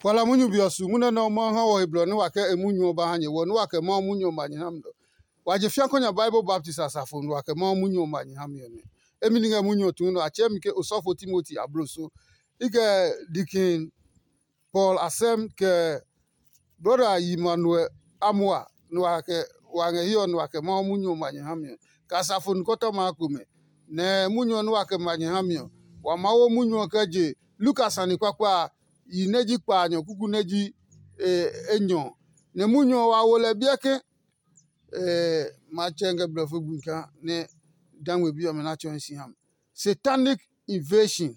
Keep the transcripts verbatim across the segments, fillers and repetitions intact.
Kuala munyu be ɔ su munyu nɛ Mawu ha wɔ he blɔ nɛ wa kɛ e munyu ɔ ba ha nyɛ, wɔ nɛ wa kɛ Mawu munyu ɔ ma nyɛ ha mi ɔ. Wa je fiako nya Bible baptist asafo nɛ wa kɛ Mawu munyu ɔ ma nyɛ ha mi ɔ nɛ. Emi ni ngɛ munyu ɔ tuu nɛ a tsɛɛ mi ke osɔfo Timoti abloso. I kɛ Dikin Paul asɛm kɛ brɔda Yimanuel Amua nɛ wa kɛ wa ngɛ hiɛ ɔ nɛ wa kɛ Mawu munyu ɔ ma nyɛ ha mi ɔ, kɛ asafo nikɔtɔma a komɛ. Nɛ munyu ɔ nɛ wa kɛ ma nyɛ ha mi ɔ, wa maa wo munyu ɔ kɛ je Lukas sane kpakpa a, yi nɛ ji kpaanyɔ kuku nɛ ji enyɔ. Nɛ munyu ɔ wa wo lɛ biɛ ke, matsɛ ngɛ blɔfo gbi kaa nɛ dangme bi ɔmɛ na tsɔɔe si ha mi. Satanic invasion.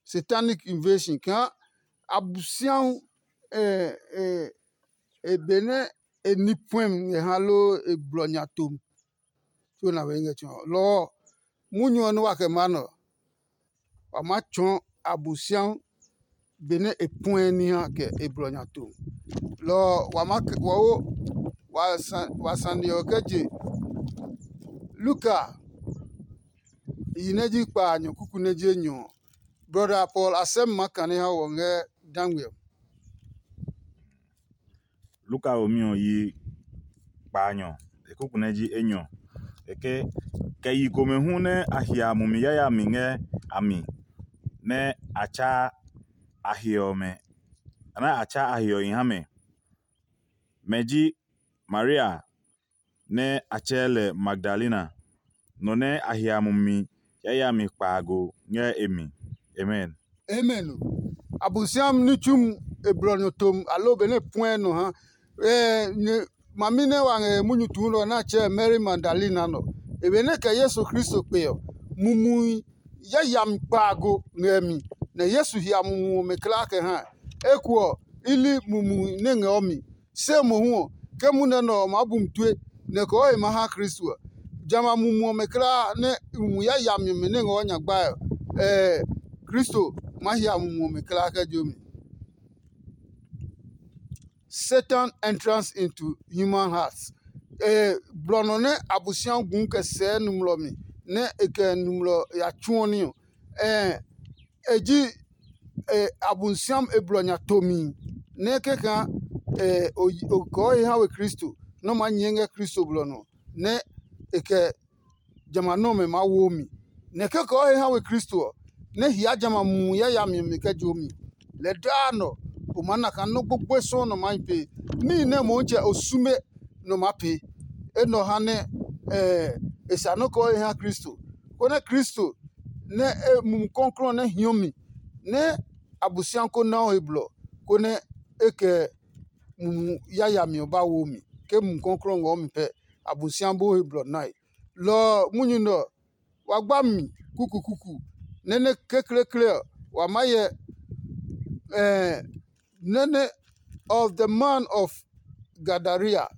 Satanic invasion kaa Abosiahu e benɛ e ní puɛmi ngɛ ha loo e blɔ nya tom. Tso na we ngɛ tsɔɔ lɔ ɔ, munyu ɔ nɛ wa kɛ maa nɛ ɔ, wa maa tsɔɔ Abosiahu benɛ e puɛ ní ha kɛ e blɔ nya to. Lɔ ɔ, wa maa kɛ wɔ wo wa sane ɔ kɛ je Luka yi nɛ ji kpaanyɔ kuku nɛ ji enyɔ ɔ. Brɔda Paul a sɛ́ mi maa kane ha wɔ ngɛ dangwe ɔ. Luka womi ɔ yi kpaanyɔ, e kuku nɛ ji enyɔ. E ke, kɛ yi komɛ hu nɛ a hia mumi yayami ngɛ a mi, nɛ a tsaa a he ɔmɛ, nɛ a tsaa a he ɔ hi ha mɛ. Mɛ ji Maria nɛ a tsɛɛ lɛ Magdalena, nɔ nɛ a hia mumi yayami kpaago ngɛ e mi. Amen. Amen. Abosiami ní tsumi e blɔ nɔ tom aloo benɛ e puɛ nɔ ha. Ɛɛ, nyɛ mami nɛ wa ngɛ munyu tuu nɔ nɛ a tsɛɛ Mari Magdalena nɔ. E benɛ kɛ Yesu Kristo kpe ɔ, mumui yayami kpaago ngɛ e mi, nɛ Yesu hia mumu ɔmɛ kulaa kɛ ha. Eko ɔ, i li mumui nɛ ngɛ o mi. Se mohu ɔ, ke munɛ nɛ ɔ maa bu mi tue, nɛ kɔɔ he maa ha Kristo ɔ, jamɛ a mumu ɔmɛ kulaa nɛ mumi yayami ɔmɛ nɛ ngɛ o nyagbae ɔ, ɛɛ, Kristo maa hia mumu ɔmɛ kulaa kɛ je o mi. Satan entrance into human hearts. Blɔ nɔ nɛ Abosiami gu kɛ sɛɛ nɔmlɔ mi nɛ e kɛ nɔmlɔ ya tsuɔ ní ɔ, e ji Abosiami e blɔ nya tomi nɛ kɛkaa o kɔɔ he ha we Kristo nɛ o maa nyɛɛ ngɛ Kristo blɔ nɔ nɛ e kɛ jamɛ a nɔmɛ maa wo mi. Nɛ kɛkaa o he ha we Kristo ɔ, nɛ hia jamɛ a mumi yayami ɔmɛ kɛ jo mi. Lɛ daa nɔ o maa na kaa nɔ́ gbogboe sɔuu nɔ maa hi pee. Níhi nɛ Motsɛ o sume nɔ maa pee. Enɛ ɔ ha nɛ e sa nɔ́ kɛ o he ha Kristo, konɛ Kristo nɛ e Mumi Klɔuklɔu nɛ hiɔ mi nɛ Abosiami ko na o he blɔ, konɛ e kɛ mumi yayami ɔ ba wo mi. Ke Mumi Klɔuklɔu ngɔ mi pɛ, Abosiami ba o he blɔ nae. Lɔ ɔ, munyu nɛ ɔ, wa gba mi kukukuku, nɛ nɛ kekleekle ɔ, wa maa hyɛ nɛ nɛ of the man of Gadara,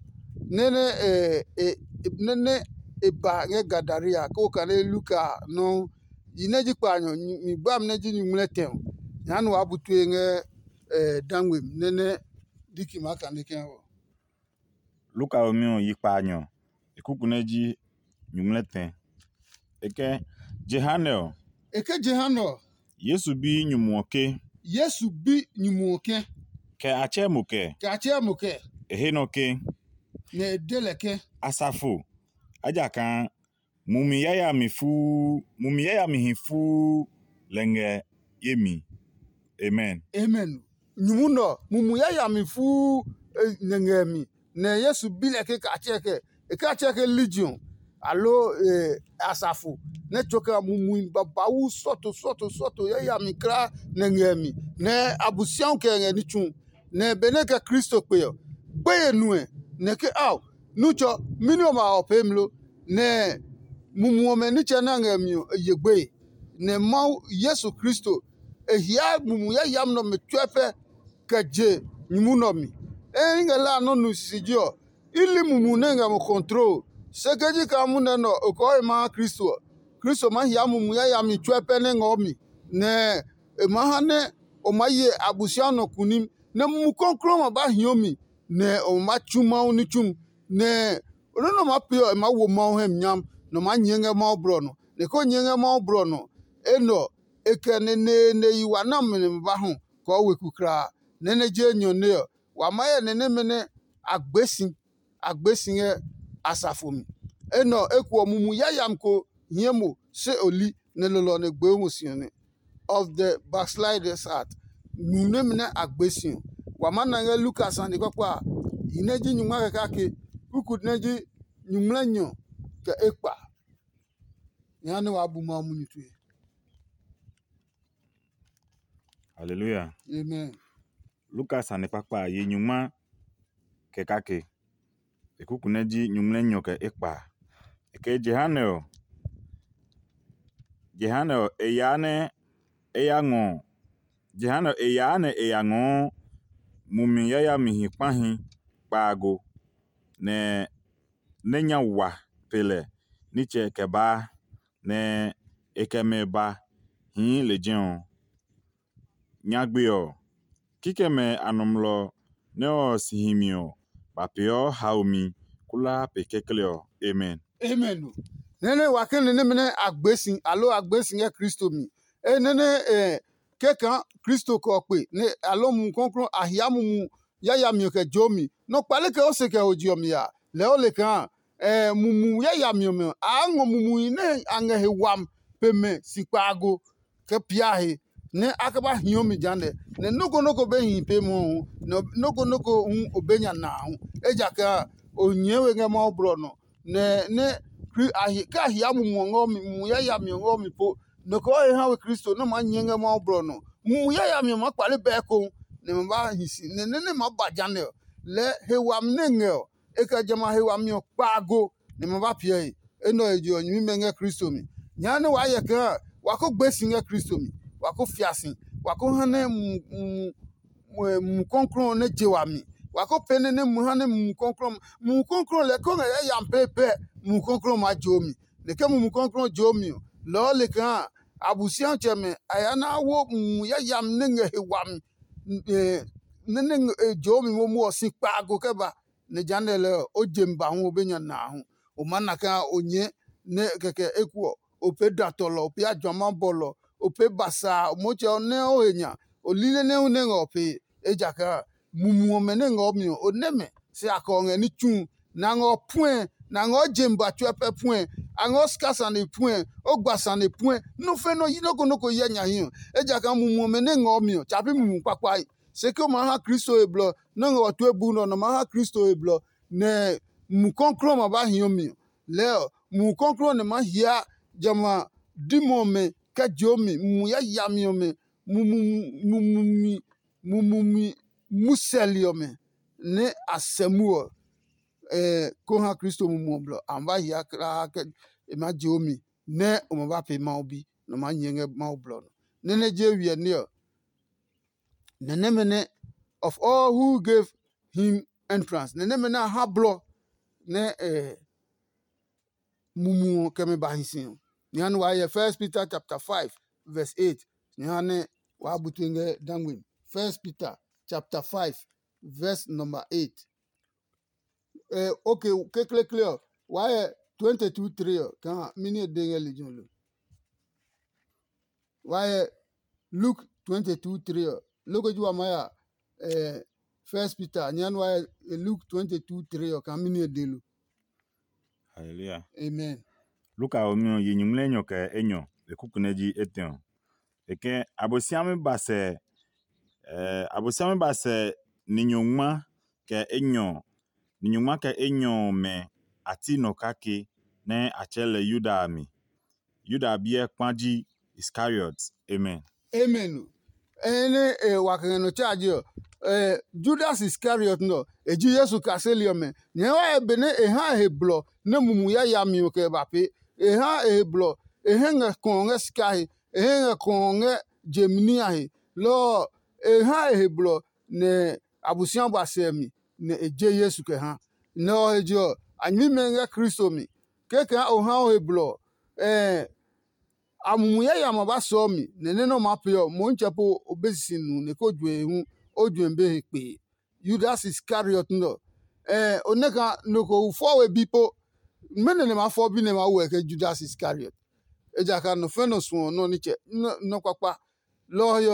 nɛ nɛ e nɛ nɛ e ba ngɛ Gadara, kɛ o kane Luka nɔuu. Yi nɛ ji kpaanyɔ, mi gbami nɛ ji nyuŋmlɛtɛ ɔ, nya nɛ waa bu tue ngɛ dangwemi nɛ nɛ diki maa kane kɛ ɔ. Luka womi ɔ yi kpaanyɔ, e kuku nɛ ji nyuŋmlɛtɛ. E ke, jehanɛ ɔ, E ke jehanɛ ɔ, Yesu bi nyumu ɔ ke, Yesu bi nyumu ɔ ke, kɛ a tsɛɛ mo kɛ? Kɛ a tsɛɛ mo kɛ? E he nɔ ke, Nɛ e de lɛ ke, Asafo, ejakaa mumi yayami fuu mumi yayamihi fuu lɛ ngɛ ye mi. Amen. Amen. Nyumu nɛ ɔ, mumi yayami fuu nɛ ngɛ mi, nɛ Yesu bi lɛ ke katsɛ kɛ e katsɛ ke legion, aloo asafo, nɛ tso kɛ mumi babauu sɔto sɔto sɔto yayami kulaa nɛ ngɛ mi, nɛ Abosiamu kɛ ngɛ ní tsu. Nɛ benɛ e kɛ Kristo kpe ɔ, gbeye nuɛ, nɛ ke ao, Nutsɔ, mɛni ɔmɛ a ɔ peemi lo? Nɛ mumi ɔmɛ nitsɛ nɛ a ngɛ mi ɔ, e ye gbeye. Nɛ Mawu Yesu Kristo, e hiaa mumi yayami nɛ ɔmɛ tsuɛ pɛ kɛ je nyumu nɛ ɔ mi. Eye i ngɛ lɛ a nɔ́ nu sisiji ɔ, i li mumi nɛ ngɛ mo kɔntrol. Se ke ji kaa munɛ nɛ ɔ, e kɔɔ he ma ha Kristo ɔ, Kristo maa hia mumi yayami tsuɛ pɛ nɛ ngɛ o mi, nɛ e maa ha nɛ o maa ye Abosiamu nɔ kunim, nɛ Mumi Klɔuklɔu ɔ ma ba hio mi, nɛ o ma tsu Mawu ní tsumi, nɛ nɔ́ nɛ o maa pee ɔ, e maa wo Mawu hɛ mi nyami, nɛ o maa nyɛɛ ngɛ Mawu blɔ ɔ nɔ. Nɛ ke o nyɛɛ ngɛ Mawu blɔ ɔ nɔ, enɛ ɔ, e kɛ neneene yi wa nɛ a mi nɛ ma ba hɔ kɔɔ weku kulaa. nɛ nɛ je enyɔ nɛ ɔ, wa maa hyɛ nɛ nɛmɛ nɛ a gbe si, a gbe si ngɛ asafo mi. Enɛ ɔ eko ɔ, mumi yayami ko hie mo se o li, nɛ lolo ɔ nɛ gbee mo si ɔ nɛ. Of the backsliders heart. Nu nɛmɛ nɛ a gbe si ɔ, wa maa na ngɛ Lukas sane kpakpa a, yi nɛ ji nyungma kɛ kake, kuku nɛ ji nyungmlɛnyɔ kɛ ekpa. Jehanɛ waa bu Mawu munyu tue. Haleluya. Amen. Lukas sane kpakpa a, yi nyungma kɛ kake. E kuku nɛ ji nyungmlɛnyɔ kɛ ekpa. E kɛ jehanɛ ɔ, jehanɛ ɔ, e yaa nɛ e ya ngɔ, jehanɛ ɔ, e yaa nɛ e ya ngɔɔ mumi yayamihi kpahi kpaago, nɛ nɛ nya wa pe lɛ nitsɛ kɛ baa, nɛ e kɛ mɛ ba hii lejɛ ɔ. Nyagbe ɔ, kikɛmɛ a nɔmlɔ nɛ ɔ si hi mi ɔ, ba peeɔ haomi kulaa pe kekle ɔ. Amen. Amen. Nɛ́ nɛ wa kɛ nɛ nɛmɛ nɛ a gbe si, aloo a gbe si ngɛ Kristo mi. E nɛ nɛ kɛ kaa Kristo kɛ ɔ kpe, nɛ aloo Mumi Klɔuklɔu a hia mumu yayami ɔ kɛ joo mi. Nɔ kpale kɛ o se kɛ ho je ɔ mi a, lɛɛ o le kaa mumu yayami ɔmɛ ɔ, a ngɔ mumuhi nɛ a ngɛ he wami pe mɛ si kpaago kɛ pia he, nɛ a kɛ ba hiɔ mi jehanɛ. Nɛ nɔ́ ko nɔ́ ko be hi pe mwɔɔ hu, nɛ nɔ́ ko nɔ́ ko hu o be nya na hu, ejakaa o nyɛɛ we ngɛ Mawu blɔ nɔ. Nɛ nɛ kɛ a hia mumu ɔ ngɛ mi, mumu yayami ɔ ngɛ mi po, nɔ ko he ha we Kristo nɛ maa nyɛɛ ngɛ Mawu blɔ nɔ. Mumu yayami ɔ maa kpale bɛɛ ko, nɛ ma ba hi si, nɛ nɛ nɛ maa ba jehanɛ ɔ, lɛɛ he wami nɛ ngɛ ɔ, e kɛ jamɛ a he wami ɔ kpaago, nɛ ma ba piɛ he. Enɛ ɔ he je ɔ, nyɛmimɛ ngɛ Kristo mi. Jehanɛ waa hyɛ kaa wa ko gbe si ngɛ Kristo mi, wa ko fia si, wa ko ha nɛ Mumi Klɔuklɔu ɔ nɛ je wami. Wa ko pee nɛ nɛ mu ha nɛ Mumi Klɔuklɔu ɔ, Mumi Klɔuklɔu ɔ lɛɛ ko ngɛ yayami pɛpɛ, Mumi Klɔuklɔu ɔ maa joo mi. Nɛ ke Mumi Klɔuklɔu ɔ joo mi ɔ, lɔ ɔ le kaa Abosiatsɛmɛ a ya na wo mumu yayami nɛ ngɛ he wami nɛ nɛ e joo mi momo ɔ si kpaago kɛ ba, nɛ jehanɛ lɛɛ ɔ, o je mi ba hu o be nya na a hu. O maa na kaa o nyɛɛ nɛ kɛkɛ eko ɔ, o pee datɔlɔ, o pee ajwama bɔlɔ, o pee basaa, o motsɛ ɔ nɛ o he nya, o lile nɛ hu nɛ ngɛ o pee. Ejakaa mumu ɔmɛ nɛ ngɛ o mi ɔ, o nɛ mɛ, se a kɛ o ngɛ ní tsu, nɛ a ngɛ o puɛ, nɛ a ngɛ o je mi ba tsuɛ pɛ puɛ, a ngɛ o sika sane puɛ, o gba sane puɛ, nɔ́ fe nɔ́ yi nɔ́ ko nɔ́ ko hyɛ nya hi ɔ. Ejakaa mumu ɔmɛ nɛ ngɛ o mi ɔ, tsa pi mumu kpakpae. Se ke o maa ha Kristo he blɔ nɛ o ngɛ wa tue buu nɛ ɔ, nɔ maa ha Kristo he blɔ, nɛ Mumi Klɔuklɔu ɔ ma ba hiɔ mi ɔ, lɛɛ ɔ, Mumi Klɔuklɔu ɔ nɛ maa hia jamɛ a dimɛ ɔmɛ kɛ jeo mi, mumi yayami ɔmɛ, mumi mumi mumi musɛli ɔmɛ nɛ a sɛ mu ɔ, ko ha Kristo Mumi ɔ blɔ. A ma ba hia kulaa kɛ e maa jeo mi nɛ o ma ba pee Mawu bi, nɔ maa nyɛɛ ngɛ Mawu blɔ nɔ. Nɛ nɛ je wiɛ ní ɔ, nɛ nɛmɛ nɛ of all who gave him entrance, nɛ nɛmɛ nɛ a ha blɔ nɛ eh, mumu ɔ kɛ mɛ ba hi si ɔ. Jehanɛ wa hyɛ First Peter chapter five verse eight. Jehanɛ wa bu tue ngɛ dangme mi. First Peter chapter five verse number eight. Eh, okay, kekleekle ɔ, wa hyɛ twenty two three ɔ, kaa mɛni e de ngɛ lejɛ ɔ lo? Wa hyɛ Luke twenty two three ɔ, loko ji wa maa ya eh, First Peter, nyɛ nua Luke twenty two three ɔ kaa mɛni e de lo? Hallelujah. Amen. Luka ɔ mi ɔ yi nyuŋmlɛ enyɔ kɛ enyɔ e kuku nɛ ji etɛ ɔ. E kɛ Abosiami ba sɛ eh, Abosiami ba sɛ ni nyɔngma kɛ enyɔ ni nyɔngma kɛ enyɔ ɔmɛ a ti nɔ kake nɛ a tsɛɛ lɛ Yuda a mi. Yuda biɛ kpa ji Iskariot. Amen. Amen. Ɛnɛ e wa kɛ ngɛ nɔ tsa je ɔ, eh, Judas Iskariot nɔ, e ji Yesu kaseli ɔmɛ. Nyɛɛ wa he benɛ e ha e he blɔ nɛ mumi yayami ɔ kɛ ba pee. E ha e he blɔ, e hɛ ngɛ kɔɔ ngɛ sika he, e hɛ ngɛ kɔɔ ngɛ je mi ní a he. Lɔ ɔ, e ha e he blɔ nɛ Abosiami ba sɛ mi, nɛ e je Yesu kɛ ha. Nɛ ɔ he je ɔ, a nyɛmimɛ ngɛ Kristo mi. Kɛkɛ o ha o he blɔ ɔ, ɛɛ a mumu yayami a ba sɔɔ mi, nɛ nɛ nɛ o maa pee ɔ, Motsɛ po o be sisi nu nɛ ko juɛ hu o juɛ be he kpee. Yudas Iskariot nɛ ɔ. Ɛɛ o nɛ kaa nɔ ko fɔ we bi po. Mɛnɔ nɛ ma fɔ bi nɛ ma wo ɛ kɛ Judas Iskariot? Ejakaa nɔ fɛ nɔ suɔ nɔ nitsɛ nɔ kpakpa. Lɔ ɔ he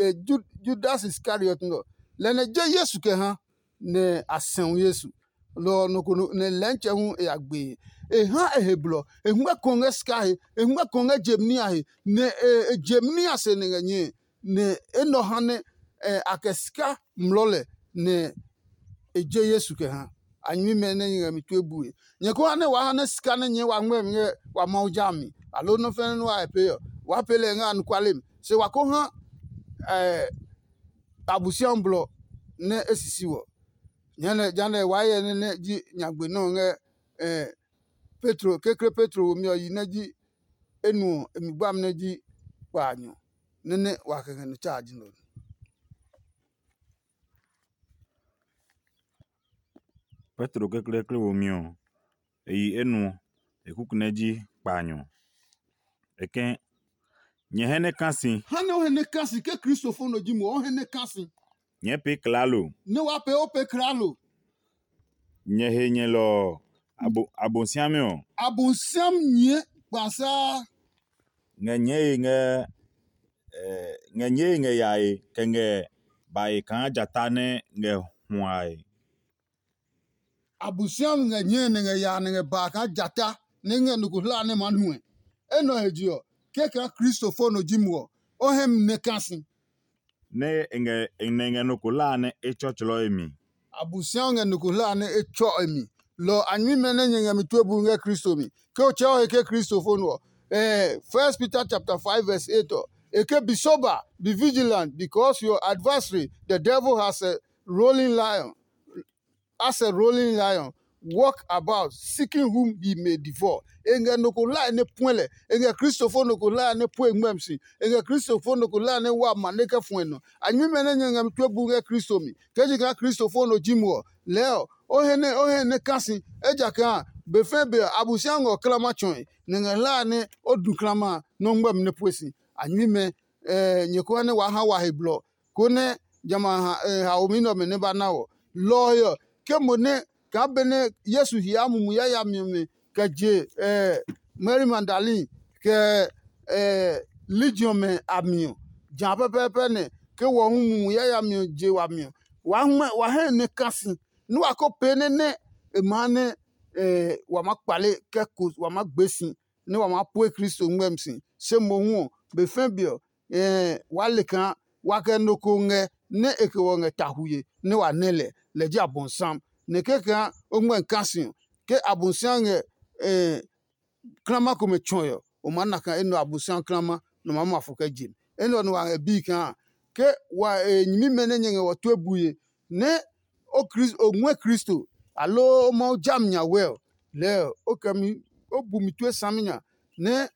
ɔ, Judas Iskariot nɛ ɔ, lɛ nɛ je Yesu kɛ ha, nɛ a sɛu Yesu. Lɔ ɔ nɔ ko nɛ lɛntsɛ hu e ya gbee. E ha e he blɔ, e huɛ ko ngɛ sika he, e huɛ ko ngɛ jemi a he, nɛ e jemi a se nɛ ngɛ nyɛe, nɛ enɛ ɔ ha nɛ a kɛ sika mlɔɔ lɛ, nɛ e je Yesu kɛ ha. A nyɛmimɛ nɛ nyɛ ngɛ mi tue bue. Nyɛ ko ha nɛ waa ha nɛ sika nɛ nyɛɛ wa ngmɛmi ngɛ wa Mawu ja mi, aloo nɔ́ fɛnɛ nɛ wa he pee ɔ, waa pee lɛ ngɛ anɔkuale mi. Se wa ko ha Abosiami blɔ nɛ e sisi wɔ. Jehanɛ jehanɛ waa hyɛ nɛ nɛ ji nyagbe nɛ ɔ ngɛ Petro, kekle Petro womi ɔ yi nɛ ji enuɔ, e mi gbami nɛ ji kpaanyɔ, nɛ nɛ wa kɛ ngɛ nɔ tsaa ji nɛ ɔ. Petro kekleekle womi ɔ, e yi enuɔ, e kuku nɛ ji kpaanyɔ. E ke, nyɛ hɛ nɛ ka si. Ha nɛ o hɛ nɛ ka si ke Kristofo nɔ ji mo, o hɛ nɛ ka si. Nyɛɛ pee klaalo. Nɛ waa pee o pee klaalo. Nyɛ he nyɛlɔ ɔ, Abosiami ɔ. Abosiami nyɛɛ kpasaa. Ngɛ nyɛɛe ngɛ ngɛ nyɛɛe ngɛ yae kɛ ngɛ bae kaa jata nɛ ngɛ huae. Abosiami ngɛ nyɛɛ nɛ ngɛ yaa nɛ ngɛ baa kaa jata nɛ ngɛ nɔ ko hla nɛ maa nuɛ. Enɛ ɔ he je ɔ, kɛkaa Kristofo nɔ ji mo ɔ, o hɛ mi nɛ ka si. Nɛ e ngɛ e nɛ ngɛ nɔ ko hla nɛ e tsɔtsɔlɔ e mi. Abosiami ngɛ nɔ ko hla nɛ e tsɔ e mi. Lɔ ɔ a nyɛmimɛ nɛ nyɛ ngɛ mi tue bu ngɛ Kristo mi. Ke o tsɛ o he ke Kristofo nɔ ɔ, eh, First Peter chapter five verse eight ɔ, e ke, be sober, be vigilant, because your adversary, the devil, has a rolling lion, as a rolling lion, walk about seeking whom he may devour. E ngɛ nɔ ko hlae nɛ puɛ lɛ. E ngɛ Kristofo nɔ ko hlae nɛ pue ngmɛmi si. E ngɛ Kristofo nɔ ko hlae nɛ wa ma nɛ kɛ fuɛ nɔ. A nyɛmimɛ nɛ nyɛ ngɛ mi tue bu ngɛ Kristo mi, ke je kaa Kristofo nɔ ji mo ɔ, lɛɛ ɔ, o he nɛ o he nɛ ka si, ejakaa be fɛɛ be ɔ, Abosiami ngɛ ɔ klama tsɔe, nɛ ngɛ hlae nɛ o du klama a nɔ́ ngmɛmi nɛ pue si. A nyɛmimɛ, nyɛ ko ha nɛ waa ha wa he blɔ, konɛ jamɛ a haomi nɛ ɔmɛ nɛ ba na wɔ. Lɔ ɔ he ɔ, ke mo nɛ kaa benɛ Yesu hyɛɛ mumi yayami ɔmɛ kɛ je Mari Magdalene kɛ Legion ɔmɛ a mi ɔ, jã pɛpɛɛpɛ nɛ ke wɔ hu mumi yayami ɔ je wami ɔ, waa ngmɛ wa hɛ nɛ ka si, nɛ wa ko pee nɛ nɛ e maa nɛ wa maa kpale kɛ ko wa maa gbe si, nɛ wa maa pue Kristo ngmɛmi si. Se mohu ɔ, be fɛ̃ be ɔ, waa le kaa wa kɛ nɔ ko ngɛ nɛ e kɛ wɔ ngɛ tahuye nɛ wa nɛ lɛ, lɛ ji Abonsam. Nɛ kɛkaa o ngmɛmi ka si ɔ, ke Abonsam ngɛ klama komɛ tsɔe ɔ, o maa na kaa enɛ ɔ Abosiami klama nɛ o maa ma fɔ kɛ je mi. Enɛ ɔ nɛ wa ngɛ bii kaa ke wa e nyɛmimɛ nɛ nyɛ ngɛ wɔ tue bue nɛ o Kristo o ngɔɛ Kristo aloo o Mawu jami nya wɛ ɔ, lɛɛ o kɛ mi o bu mi tue saminya nɛ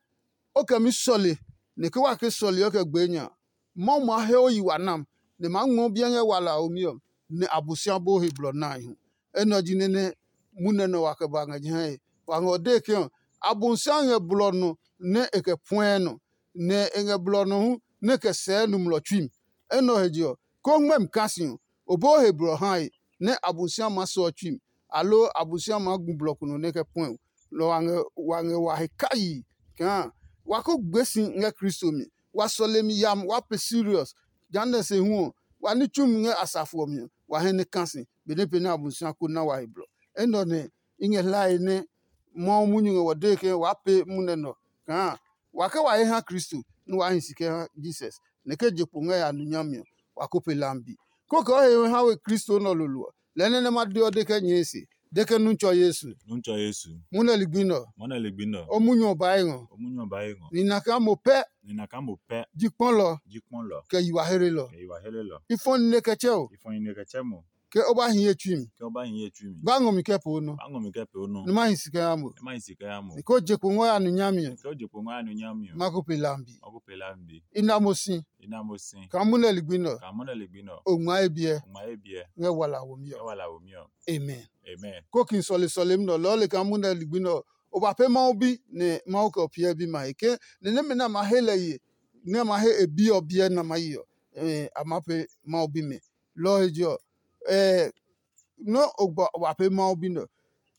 o kɛ mi sɔle, nɛ ke wa ke sɔle ɔ kɛ gbee nya. Mawu maa he o yi wa nam, nɛ e maa ngmɔ biɛ ngɛ wala a omi ɔ, nɛ Abosiami bó he blɔ nae hu. Enɛ ɔ ji nɛ nɛ munɛ nɛ wa kɛ ba ngɛ jehae. Wa ngɛ o dee ke ɔ, Abosiami ngɛ blɔ nɔ nɛ e kɛ puɛɛ nɔ, nɛ e ngɛ blɔ nɔ hu nɛ e kɛ sɛɛ nɔmlɔ tsui mi. Enɛ ɔ he je ɔ, ke o ngmɛmi kaa si ɔ, o bɛ o he blɔ hae nɛ Abosiami maa sɛ o tsui mi, aloo Abosiami maa gu blɔ ko nɔ nɛ e kɛ puɛ o. Lɔ ɔ wa ngɛ wa he kayii kaa wa ko gbe si ngɛ Kristo mi. Wa sɔle mi yami, wa pee serious. Jehanɛ se hu ɔ, wa ní tsumi ngɛ asafo ɔ mi ɔ, wa hɛ nɛ ka si, benɛ pee nɛ Abosiami ko na wa he blɔ. Enɛ ɔ nɛ i ngɛ hlae nɛ Mawu munyu ngɛ wɔ dee ke waa pee munɛ nɛ ɔ kaa wa ke wa he ha Kristo nɛ waa hi si kɛ ha Jesus, nɛ ke je kpo ngɛ ya nu nyami ɔ, wa ko pe lambi. Kókɛ o he ha we Kristo nɛ ɔ lolo ɔ, lɛɛ nɛ nɛ ma de ɔ de kɛ nyɛɛ se, de ke nu tsɔ Yesu. Nu tsɔ Yesu. Munɛ ligbi nɛ ɔ. Munɛ ligbi nɛ ɔ. O munyu ɔ ba ye ngɔ. O munyu ɔ ba ye ngɔ. Nina kaa mo pɛ. Nina kaa mo pɛ. Ji kpɔlɔ. Ji kpɔlɔ. Kɛ yiwa herelɔ. Kɛ yiwa herelɔ. I fɔ nine kɛ tsɛ o. I fɔ nine kɛ tsɛ mo. Ke o ba hi ye tsui mi. Ke o ba hi ye tsui mi. Ba ngɔ mi kɛ po nɔ. Ba ngɔ mi kɛ po nɔ. Nɛ ma hi si kɛ ya mo. Nɛ ma hi si kɛ ya mo. Ni ko je kpo ngɔ ya nu nyami ɔ. Ke o je kpo ngɔ ya nu nyami ɔ. Ma ko pe lambi. Ma ko pe lambi. I na mo si. I na mo si. Kaa munɛ ligbi nɛ ɔ. Kaa munɛ ligbi nɛ ɔ. O ngma ye biɛ. O ngma ye biɛ. Ngɛ wala womi ɔ. Ngɛ wala womi ɔ. Amen. Amen. Ko kin sɔle sɔlemi nɛ ɔ lɔɔ le kaa munɛ ligbi nɛ ɔ, o ba pɛ Mawu bi nɛ Mawu kɛ o piɛ bimɛ a he ke ni nɛmɛ nɛ a ma he lɛ ye nɛ a ma he e bi ɔ biɛ nɛ a ma yi ɔ, a ma pɛ Mawu bimɛ. Lɔ ɔ he je ɔ, nɔ́ o gba wa pee Mawu bi nɛ ɔ.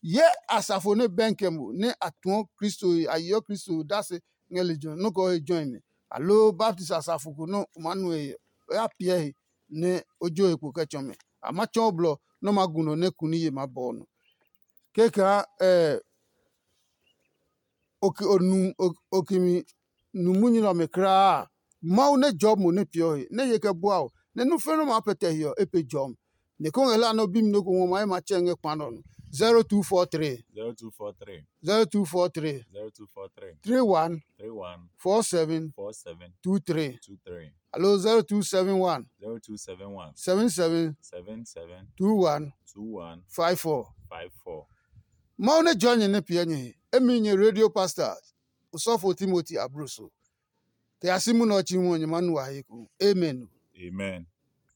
Hyɛ asafo nɛ bɛnkɛ mo nɛ a tuɔ Kristo he, a yeɔ Kristo he odase ngɛ lejɛ ɔ, nɔ́ kɛ o he jɔe mɛ, aloo baptisi asafo ko nɛ o maa nu he ɔ, o ya piɛ he. nɛ o jo he kpo kɛ tsɔ mɛ. A ma tsɔ o blɔ nɛ o ma gu nɔ nɛ kuniye maa bɔ o nɔ. Kɛkaa okimi nu munyu nɛ ɔmɛ kulaa a, Mawu nɛ jɔɔ mo nɛ peeɔ he, nɛ ye kɛ bua o, nɛ nɔ́ nɛ maa pɛtɛ he ɔ, e pe jɔmi. Nɛ ko ngɛ hlaa nɛ o bi mi nɔ́ ko ngɔ ma ye ma tsɛ ngɛ kpa nɛ ɔ nɔ. zero two four three zero two four three zero two four three zero two four three three one three one four seven four seven two three two three aloo zero two seven one zero two seven one seven seven seven seven two one two one five four. five four. Mawu nɛ jɔɔ nyɛ nɛ piɛ nyɛ he. Emi nyɛ radio pastor, osɔfo Timoti abloso. Kɛ ya si munɛ ɔ tsi hu ɔ, nyɛ maa nu wa he ko. Amen. Amen.